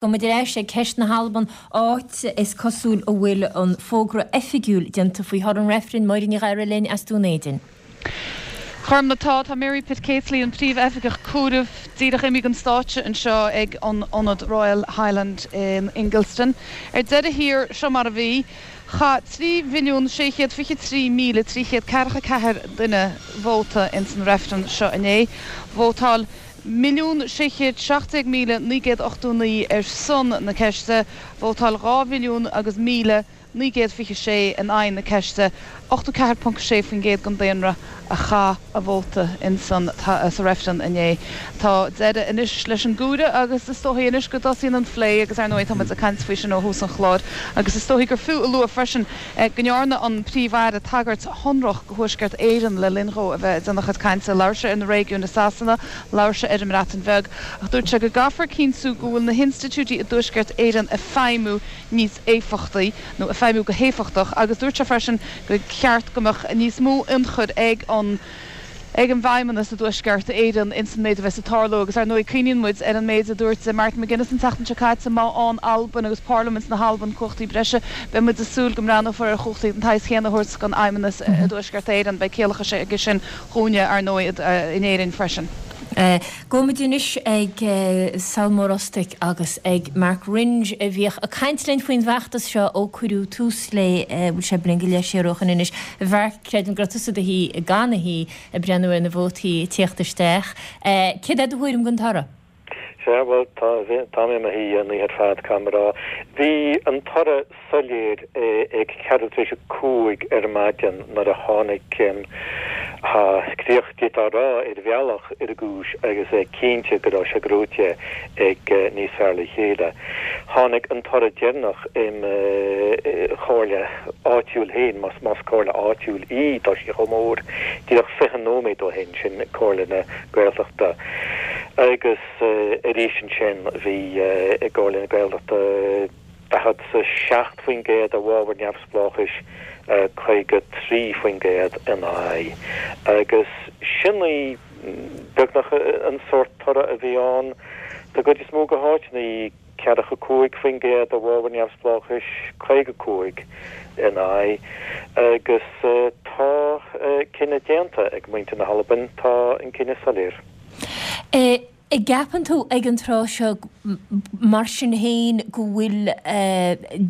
Gabhfaidh muid ar ais ag ceist na hAlban, áit is cosúil a bhfuil an fógra oifigiúil déanta faoi thoradh an reifrinn. Máire Ní Ghadhra linn as Dún Éideann. Gormfhlaith, tá, tá Mary Pitcaithly, an Príomh-Oifigeach Comhairimh, díreach imithe den stáitse anseo ag an Ionad Royal Highland in Ingliston. Ar deireadh thiar, seo mar a bhí, Chaith 3,623,344 duine vóta ins an reifreann seo inné. Vótáil 1,617,989 ar son na ceiste, vótáil 2 mhilliún agus 1,926 in aghaidh na ceiste, 84.6% den daonra a chaith a vóta insan sa reifreann inné. Tá deireadh anois leis an gcomhaireamh agus is dóichí anois go dtosaíonn an phlé agus ar ndóigh tá muid ag caint faoi sin ó thús an chláir agus is dóichí gur fiú a lua freisin go ndearna an Príomh-Aire tagairt shonrach go Thuaisceart Éireann le linn dhó a bheith ag déanamh a chuid cainte. Labhair sé ar na réigiúin i Sasana, labhair sé ar an mBreatain Bheag ach dúirt sé go gcaithfear cinntiú go bhfuil na hinstitiúidí i dTuaisceart Éireann ag feidhmiú níos éifeachtaí nó ag feidhmiú go héifeachtach agus dúirt sé freisin gur cheart go mbeadh níos mó ionchur ag an ag an bhFeidhmeannas i dTuaisceart Éireann ins an méid a bheas ag tarlú agus ar ndóigh cuimhníonn muid ar an méid a dúirt Martin McGuinness an tseachtain seo caite, má fhaigheann Albain agus Parlaimint na hAlban cumhachtaí breise beidh muid ag súil go mbreathnófar ar chumhachtaí den tsaghas chéanna a thabhairt don Fheidhmeannas i dTuaisceart Éireann. Beidh ciallachas aige sin dhúinne ar ndóigh in Éirinn freisin. Gabhfaidh muid anois ag Sailm Ó Rostaigh agus ag Mark Wringe a bhíodh ag caint linn faoin bhfeachtas seo ó cuireadh tús léi, bhfuil sé bliain go leith siar ó shoin anois. A Mhark, creidim go raibh tusa i do shuí, gan a shuí, ag breathnú ar na vótaí ag tíocht isteach. Céard é do thuairim den toradh? Sea, bhuel, tá, tá mé i mo shuí an oíche ar fad, caithfidh mé a rá. Bhí an toradh soiléir ag ceathrú tar éis a 5 ar maidin nuair a tháinig críoch, d'fhéadfá a rá, ar bhealach ar an gcúis agus é cinnte go raibh sé gnóite ag Níos Fearr Le Chéile. Tháinig an toradh deireanach im chomhairle áitiúil féin, más comhairle áitiúil í, tá sí chomh mór, díreach 20 nóiméad ó shin, sin Comhairle na Gaeltachta. Agus arís ansin bhí i gComhairle na Gaeltachta, 47% i bhfabhar neamhspleáchais, 53% ina aghaidh. Agus sin í beagnach an sórt toradh a bhí ann don gcuid is mó de háiteanna, 45% i bhfabhar neamhspleáchais, 55 ina aghaidh. Agus tá cinneadh déanta ag muintir na hAlban, tá an cinneadh soiléir. An gceapann tú ag an tráth seo, mar sin féin, go bhfuil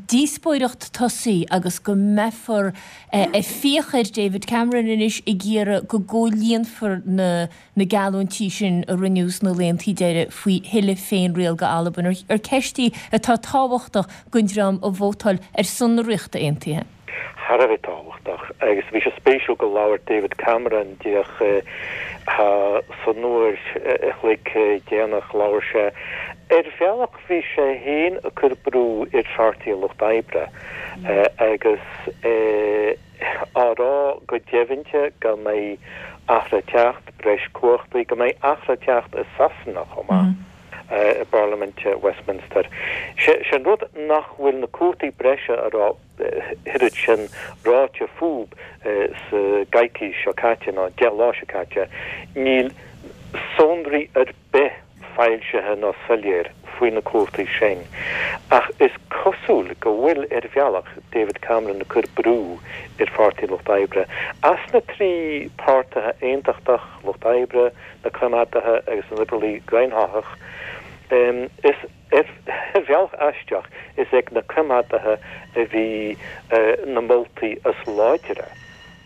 díospóireacht tosaithe agus go mbeifear ag fiach ar David Cameron anois ag iarraidh go gcomhlíonfar na na geallúintí sin a rinneadh sna laethantaí deiridh faoi thuilleadh féinriail go Albain, ar ceist í atá tábhachtach don dream a vótáil ar son na Ríochta Aontaithe? thar a bheith tábhachtach agus bhí sé spéisiúil go labhair David Cameron díreach san uair a chloig déanach labhair sé. Ar bhealach bhí sé féin ag cur brú ar Pháirtí an Lucht Oibre agus á rá go deimhnte go mbeidh athrú ag teacht, breis cumhachtaí, go mbeidh athrú ag teacht i Sasana chomh maith. i bParlaimint Westminster. Sé an rud nach bhfuil na cumhachtaí breise a raibh oiread sin ráite fúb sa gcoicís seo caite, nó 10 lá seo caite, níl sonraí ar bith foilsithe nó soiléir faoi na cumhachtaí sin. Ach is cosúil go bhfuil, ar bhealach, David Cameron ag cur brú ar Pháirtí an Lucht Oibre. As na 3 páirtithe aontachtach, Lucht Oibre, na Coimeádaithe agus na Liobrálaigh Dhaonlathach. Is ar bhealach aisteach, is ag na Coimeádaithe a bhí na moltaí is láidre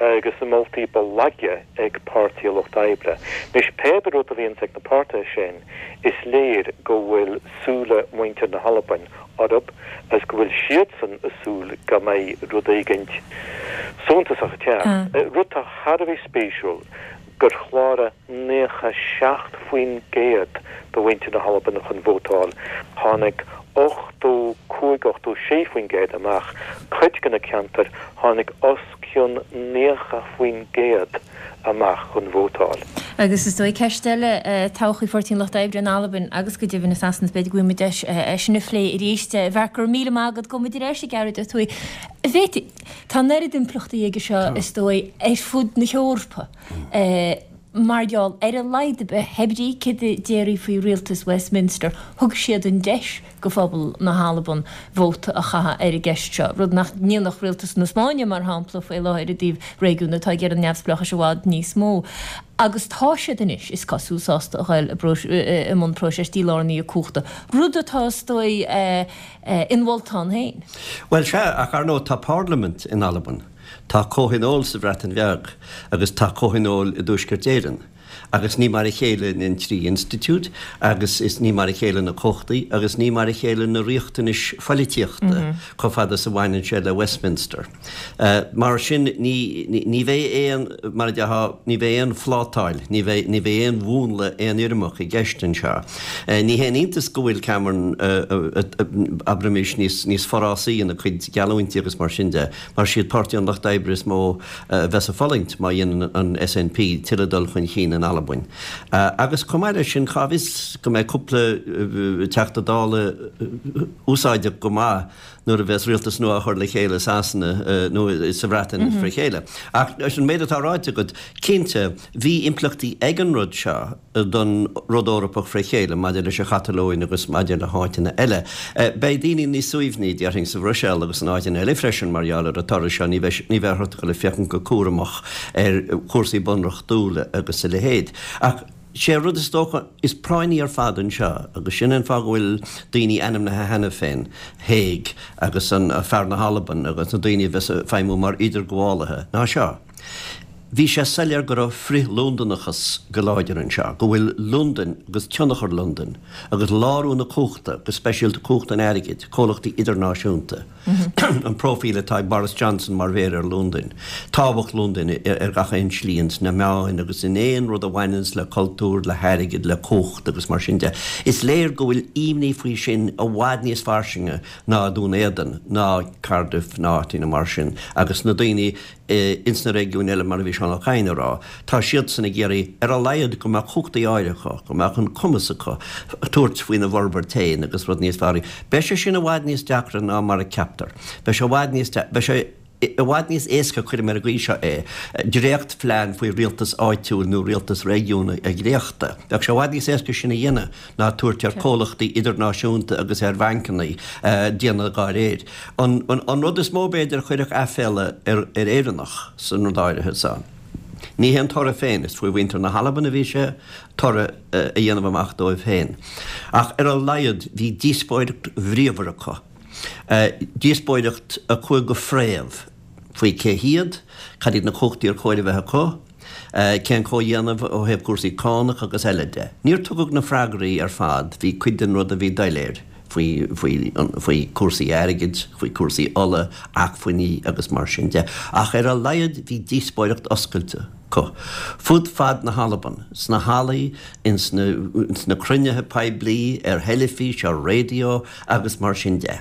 agus na moltaí ba laige ag Páirtí an Lucht Oibre. Anois, pé rud a bhíonns ag na páirtithe sin, is léir go bhfuil súile muintir na hAlbain orthu agus go bhfuil siadsan ag súil go mbeidh rud éigint suntasach ag teacht. Rud atá thar a bheith spéisiúil, gur chláraigh 97% de mhuintir na hAlban chun vótáil, tháinig 85, 86% amach, cuid de na ceantair tháinig os cionn 90% amach chun vótáil. Agus is dóigh ceist eile, todhchaí Pháirtí an Lucht Oibre in Albain agus go deimhin i Sasana, is b'fhéidir go bhfaighidh muid deis é sin a phlé arís. A Mhark, go raibh míle maith agat, gabhfaidh muid ar ais ag Gearóid Ó Tuathaigh. Bhféadfaí. Tá an oiread impleachtaí aige seo, is dóigh, ar fud na hEorpa. Mar gheall, ar a laghad ar bith, pé brí céard a déarfaí faoi rialtas Westminster, thug siad an deis go phobal na hAlban vóta a chaitheamh ar an gceist seo, rud nach ndéanfadh rialtas na Spáinne, mar shampla, faoi láthair i dtaobh réigiún atá ag iarraidh neamhspleáchais i bhfad níos mó. Agus tá siad anois, is cosúil, sásta a ghoil i mbun próiseas dílárnaithe cumhachta, rud atá, is dóigh, inmholta ann féin. Bhuel, sea, ach ar ndóigh tá parlaimint in Albain. Tá comhthionól sa Bhreatain Bheag agus tá comhthionól i dTuaisceart Éireann agus ní mar a chéile an trí institiúid agus is ní mar a chéile na cumhachtaí agus ní mar a chéile na riachtanais phoilitíochta chomh fada is a bhaineann sé le Westminster. Mar sin ní ní bheidh aon, mar a déarfá, ní bheidh aon phlátáil, ní bheidh ní bheidh aon mhúnla aonfhoirmeach i gceist anseo. Ní haon iontas go bhfuil Cameron, abraimis, níos níos forásaí ina chuid geallúintí agus mar sin de. Mar siad Páirtí an Lucht Oibre is mó a bheas ag fulaingt má dhéanann an SNP tuilleadh dul chun chinn in Albain. Agus chomh maith leis sin, cá bhfios go mbeidh cúpla Teachta Dála úsáideach go maith nuair a bheas rialtas nua á chur le chéile i Sasana nó sa Bhreatain fré chéile. Ach leis an méid atá ráite agat, cinnte, bhí impleachtaí ag an rud seo. don rud Eorpach fré chéile maidir leis an Chatalóin agus maidir le háiteanna eile. Beidh daoine níos suaimhní, déarfainn, sa Bhruiséil agus in áiteanna eile freisin mar gheall ar an toradh seo, ní bheidh ní bheidh orthu dul ag féachaint go cúramach ar chúrsaí bunreachtúla agus a leithéid. Ach sé an rud is dócha is práinní ar fad anseo, agus sin an fáth go bhfuil daoine ainmnithe cheana féin, Hague agus an fear na hAlban agus na daoine a bheas ag feidhmiú mar idirghabhálaithe, ná seo. Bhí sé soiléir go raibh frith-Londanachas go láidir anseo, go bhfuil Londain agus tionchar Londain agus lárú na cumhachta, go speisialta cumhacht an airgid, comhlachtaí idirnáisiúnta, an próifíl atá ag Boris Johnson mar mhéara ar Londain, tábhacht Londain ar gach aon slí ins na meáin agus in aon rud a bhaineanns le cultúr, le hairgead, le cumhacht agus mar sin de. Is léir go bhfuil imní faoi sin i bhfad níos fairsinge ná Dún Éideann, ná Cardiff ná áiteanna mar sin agus na daoine ins na réigiúin eile, mar a bhí Seán Ó Cadhain a rá, tá siadsan ag iarraidh ar a laghad go mbeadh cumhachtaí áirithe acu, go mbeadh an cumas acu tabhairt faoina bhforbairt féin agus rud níos fearr. Beidh sé sin i bhfad níos deacra ná mar a ceaptar. Beidh sé i bhfad níos, beidh sé i bhfad níos éasca, cuirim ar an gcaoi seo é, dréachtphlean faoi rialtas áitiúil nó rialtas réigiúnach a dhréachtadh. Bheadh sé i bhfad níos éasca sin a dhéanamh ná tabhairt ar chomhlachtaí idirnáisiúnta agus ar bhancanna déanamh dá réir. An rud is mó, b'fhéidir, a chuirfeadh aiféala ar Éireannach san rud áirithe so, ní hé an toradh féin, is faoi mhuintir na hAlban a bhí sé toradh a dhéanamh amach dóibh féin. Ach ar a laghad bhí díospóireacht bhríomhar acu, díospóireacht a chuaigh go fréamh faoi cé hiad, cad iad na cumhachtaí ar chóir a bheith acu, cén comhdhéanamh ó thaobh cúrsaí cánach agus eile de. Níor tugadh na freagraí ar fad, bhí cuid den rud a bhí doiléir faoi, faoi, faoi cúrsaí airgid, faoi cúrsaí ola, acmhainní agus mar sin de. Ach ar a laghad bhí díospóireacht oscailte acu fud fad na hAlban, sna hallaí, ins na, ins na cruinnithe poiblí, ar theilifís, ar raidió agus mar sin de.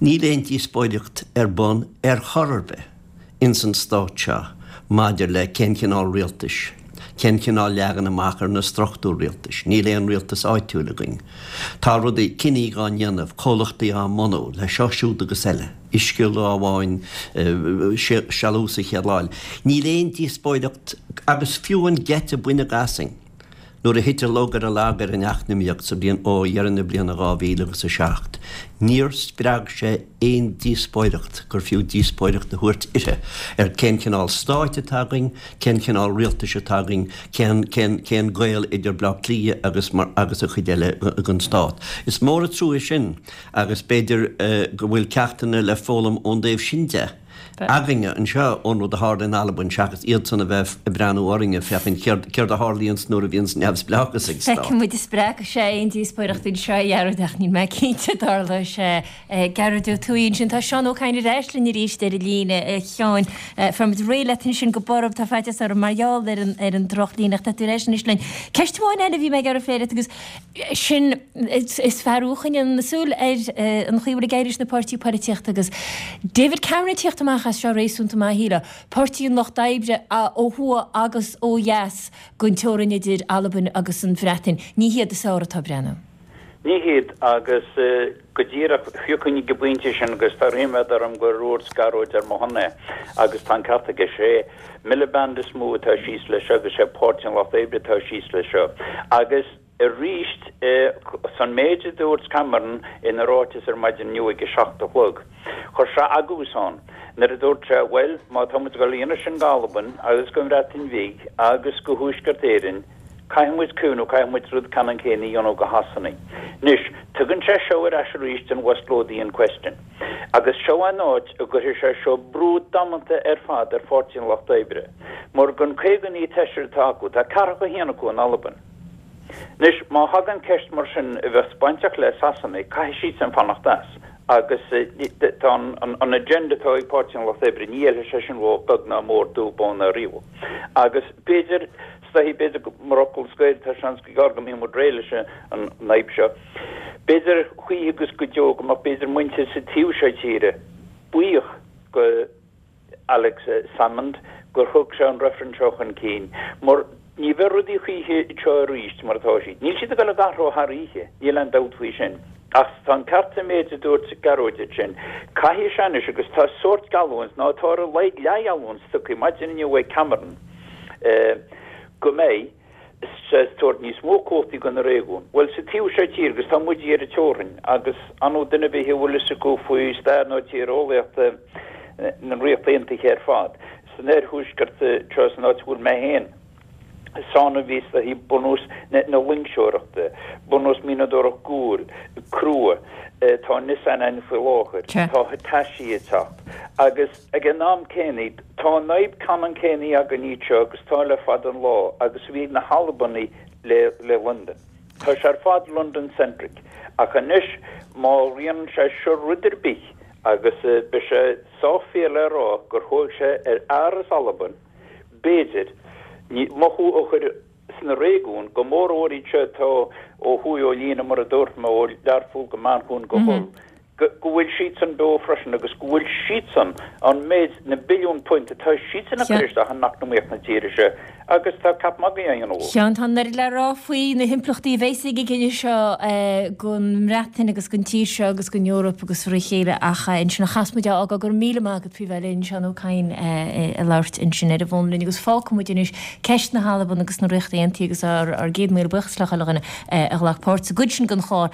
Níl aon díospóireacht ar bun ar chor ar bith. ins an stát seo maidir le cén chineál rialtais, cén chineál leagan amach ar na struchtúir rialtais. Níl aon rialtas áitiúil againn. Tá rudaí, cinní dhá ndéanamh, comhlachtaí á mbunú, le seo, siúd agus eile, uisce lá amháin, sealús an chéad lá eile. Níl aon díospóireacht agus fiú an geit a baineadh asainn. Nuair a thit an lug ar an lag ar an eacnamaíocht sa bhliain ó dheireadh na bliana 2007, níor spreag sé aon díospóireacht gur fiú díospóireacht a thabhairt uirthi ar cén cineál stáit atá againn, cén cineál rialtais atá againn, cén, cén, cén gaol idir Baile Átha Cliath agus mar, agus an chuid eile den stát. Is mór an trua sin agus b'fhéidir go bhfuil ceachtanna le foghlaim ón dtaobh sin de. againne anseo ón rud a tharla in Albain seachas iadsan a bheith ag breathnú orainne féachaint céard céard a tharlaíonns nuair a bhíonns neamhspleáchas ag stát. Feicfidh muid an spreagfaidh sé aon díospóireacht anseo a Ghearóid ach níl mé cinnte an dtarlóidh sé. Gearóid Ó Tuathaigh ansin. Tá Seán Ó Cadhain ar ais linn arís ar an líne. A Sheáin, fuair muid réidh leat ansin go borb, tá faitíos orm mar gheall ar an ar an drochlíne ach tá tú ar ais anois linn. Ceist amháin eile a bhí mé ag iarraidh a phlé leat agus sin is fearr a choinníonn súil ar an chaoi a bhfuil ag éirí leis na páirtí polaitíochta agus David Cameron ag tíocht amach as seo réasúnta maith, shílfeá. Páirtí an Lucht Oibre ó thuaidh agus ó dheas den teorainn idir Albain agus an Bhreatain, ní hiad is fearr atá ag breathnú. Ní hiad, agus go díreach, thiocfainn ag an bpointe sin agus tá ríméad orm gur dhúirt Gearóid ar mo shon é, agus tá an ceart aige, sé Miliband is mó atá síos leis seo agus sé Páirtí an Lucht Oibre atá síos leis seo. Agus arís, san méid a dúirt Cameron ina ráiteas ar maidin inniu ag a 7 a chlog, chuir sé agús ann nuair a dúirt sé, bhuel, má tá muid ag dul a dhéanamh sin d'Albain agus don Bhreatain Bhig agus go Thuaisceart Éireann, Caithfidh muid cuimhniú, caithfidh muid rud ceannann céanna a dhéanamh go Shasanaigh. Anois, tugann sé seo ar ais arís an West Lothian question. Agus seo an áit a gcuirfidh sé seo brú damanta ar fad ar Pháirtí an Lucht Oibre. Mar den 59 Taoiseach atá acu, tá ceathracha haon acu in Albain. Anois, má thagann ceist mar sin a bheas bainteach le Sasanaigh, caithfidh siadsan fanacht as. Agus tá an agenda atá ag Páirtí an Lucht Oibre, ní fheilfidh sé sin dhóibh beag ná mór, dubh, bán ná riabhach. Agus b'fhéidir. Is dóichí, b'fhéidir, mar fhocal scoir, tá seans gur gearr go mbeidh muid réidh leis an fhadhb seo. B'fhéidir choíche agus go deo go mbeadh b'fhéidir muintir sa taobh seo tíre buíoch go Alex Salmond gur thug sé an reifreann seo chun cinn, mar ní bheidh rudaí choíche anseo arís mar atá siad. Níl siad ag dul ag athrú thar oíche, níl aon dabht faoi sin. Ach tá an ceart sa méid a dúirt Gearóid ansin. Caithfidh sé anois, agus tá sórt geallúint, nó tá ar a laghad leathgheallúint tugtha maidin inniu ag Cameron, go mbeidh sé ag tabhairt níos mó cumhachtaí do na réigiúin. Bhuel, sa taobh seo tíre, agus tá muid ar an teorainn, agus ar ndóigh duine ar bith a bhfuil fhios acu faoi stair nó tíreolaíocht na Ríochta Aontaithe ar fad, san oirthuaisceart seo, san áit a bhfuil mé féin, is ann a bhí is dóichí bunús na loingseoireachta, bunús mianadóireacht guail, crua, tá Nissan ann faoi láthair, tá Hitachi ag teacht, agus. Ag an am céanna, tá an fhadhb ceannann céanna againn anseo agus tá le fada an lá, agus a bhí ag na hAlbanaigh le le Londain. Tá sé ar fad London-centric. Ach anois, má dhéanann sé seo rud ar bith, agus beidh sé sách fíor le rá gur thóg sé ar fhear as Albain, b'fhéidir, mothú a chur sna réigiúin, go mórmhór iad seo atá ó thuaidh ó líne, mar a dúirt mé, ó Learpholl go Manchain go Hull. go bhfuil siadsan beo freisin agus go bhfuil siadsan, an méid, na billiúin punt atá siadsan ag cur isteach in eacnamaíocht na tíre seo agus tá ceap magaidh á dhéanamh. Seán, tá an oiread le rá faoi na himpleachtaí a bheas ag an gcinneadh seo don mBreatain agus don tír seo agus don Eoraip agus fré chéile ach ansin a chas muid á fhágáil. Go raibh míle maith agat faoi bheith linn, Seán Ó Cadhain ag labhairt ansin ar an bhfón linn agus fágfaidh muid anois ceist na hAlban agus na Ríochta Aontaithe agus ár gcéad míle buíochas le chuile dhuine a ghlac páirt sa gcuid sin den chlár.